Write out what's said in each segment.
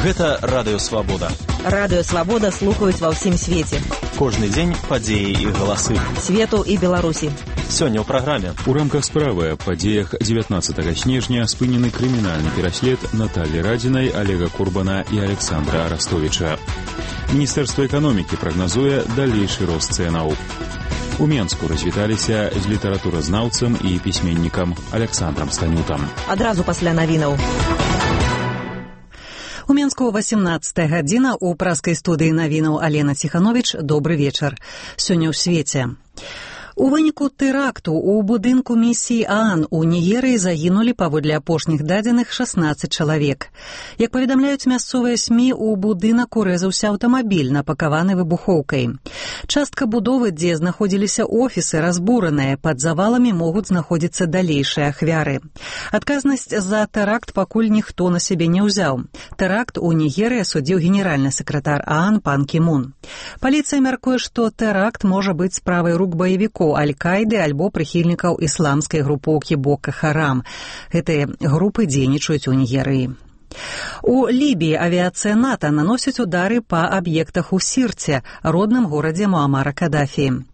Гэта Радыё Свабода. Радыё Свабода слухаюць ва ўсім свеце. Кожны дзень падзеі і галасы. Свету і Беларусі. Сёння ў праграме. У рамках справы аб падзеях 19 снежня спынены крымінальны пераслед Натальі Радзінай, Олега Курбана і Александра Арастовича. Міністэрства эканомікі прагназуе далейшы рост цэнаў. У Менску развіталіся з літаратуразнаўцам і пісьменнікам Александрам Станютам. Адразу пасля навінаў. У Менску 18 гадзіна у праскай студыі навінаў Алена Ціхановіч. Добры вечар. Сёння ў свеце. У выніку тэракту ў будынку місіі ААН у Нігерыі загінулі, паводле апошніх дадзеных, 16 чалавек. Як паведамляюць мясцовыя СМІ, у будынак урэзаўся аўтамабіль, напакаваны выбухоўкай. Частка будовы, дзе знаходзіліся офісы, разбураныя. Пад заваламі могуць знаходзіцца далейшыя ахвяры. Адказнасць за тэракт пакуль ніхто на сябе не ўзяў. Тэракт у Нігерыі асудзіў генеральны сакратар ААН пан Кі Мун. Паліцыя мяркуе, што тэракт можа быць справай рук баевікоў Аль-Каіды альбо прыхільнікаў ісламскай групоўкі Бока Харам. Гэтыя групы дзейнічаюць у Нігерыі. У Лібіі авіяцыя НАТО наносіць удары па аб'ектах у Сірце, родным горадзе Муамара Кадафі.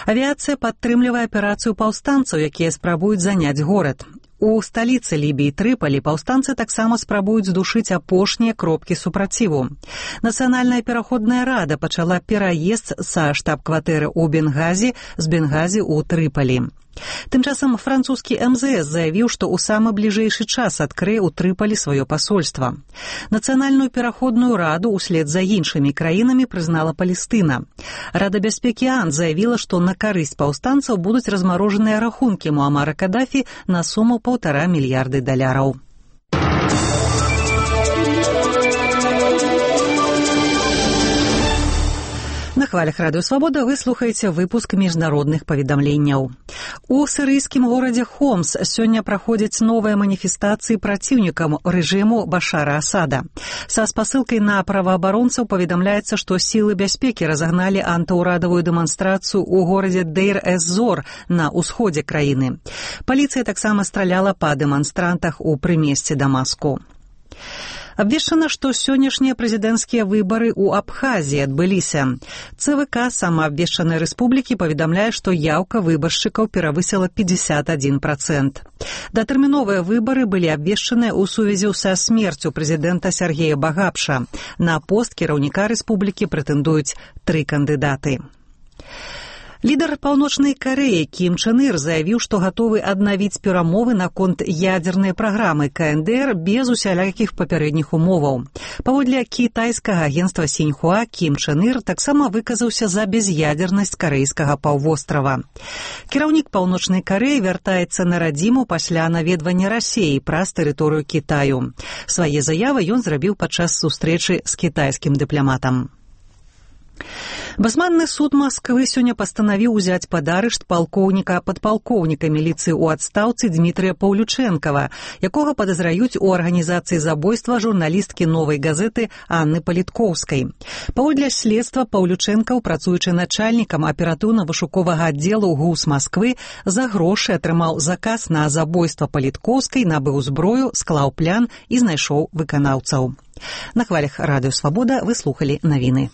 Авіяцыя падтрымлівае аперацыю паўстанцаў, якія спрабуюць заняць горад. У сталіцы Лібіі Трыпалі паўстанцы таксама спрабуюць здушыць апошнія кропкі супраціву. Нацыянальная пераходная рада пачала пераезд са штаб-кватэры ў Бенгазі з Бенгазі ў Трыпалі. Тым часам французскі МЗС заявіў, што ў самы бліжэйшы час адкрые ў Трыпалі сваё пасольства. Нацыянальную пераходную раду ўслед за іншымі краінамі прызнала Палестына. Рада бяспекі ААН заявіла, што на карысць паўстанцаў будуць размарожаныя рахункі Муамара Кадафі на суму $1,5 мільярда. На хвалях Радыё Свабода вы слухаеце выпуск міжнародных паведамленняў. У сірыйскім горадзе Хомс сёння праходзяць новыя маніфестацыі праціўнікам рэжыму Башара Асада. Са спасылкай на праваабаронцаў паведамляецца, што сілы бяспекі разагналі антыўрадавую дэманстрацыю ў горадзе Дейр-эз-Зор на ўсходзе краіны. Паліцыя таксама страляла па дэманстрантах у прымесці Дамаску. Абвешчана, што сённяшнія прэзідэнцкія выбары ў Абхазіі адбыліся. ЦВК самаабвешчанай рэспублікі паведамляе, што яўка выбаршчыкаў перавысіла 51%. Датэрміновыя выбары былі абвешчаныя ў сувязі са смерцю прэзідэнта Сергея Багапша. На пост кіраўніка рэспублікі прэтэндуюць 3 кандыдаты. Лідар Паўночнай Карэі Кім Чен Ір заявіў, што гатовы аднавіць перамовы наконт ядзернай праграмы КНДР без усялякіх папярэдніх умоваў. Паводле кітайскага агенцтва Сіньхуа, Кім Чен Ір таксама выказаўся за без'ядзернасць карэйскага паўвострава. Кіраўнік Паўночнай Карэі вяртаецца на радзіму пасля наведвання Расіі праз тэрыторыю Кітаю. Свае заявы ён зрабіў падчас сустрэчы з кітайскім дыпламатам. Басманны суд Масквы сёння пастанавіў узяць пад арышт падпалкоўніка міліцыі ў адстаўцы Дмітрыя Паўлючэнкава, якога падазраюць у арганізацыі забойства журналісткі «Новай газеты» Анны Паліткоўскай. Паводле следства Паўлючэнкаў, працуючы начальнікам аператыўна-вышуковага аддзелу ГУС Масквы, за грошы атрымаў заказ на забойства Паліткоўскай, набыў зброю, склаў план і знайшоў выканаўцаў. На хвалях Радыё Свабода вы слухалі навіны.